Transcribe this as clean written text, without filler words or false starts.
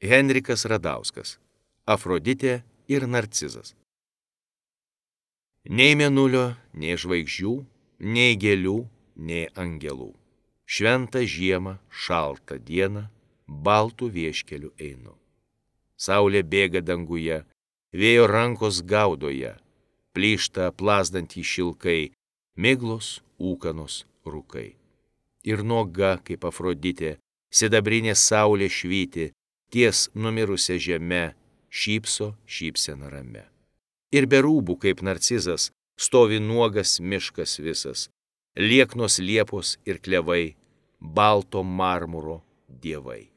Henrikas Radauskas. Afroditė ir Narcizas. Nei mėnulio, nei žvaigždžių, nei gėlių, nei angelų. Šventą žiemą, šaltą dieną, baltų vieškeliu einu. Saulė bėga danguje, vėjo rankos gaudoje, plyšta plasdantį šilkai, miglos, ūkanos, rūkai. Ir nuoga, kaip Afroditė, sidabrinė saulė švyti, ties numirusia žeme, šypso šypsena rame. Ir be rūbų, kaip Narcizas, stovi nuogas miškas visas, lieknos liepos ir klevai, balto marmuro dievai.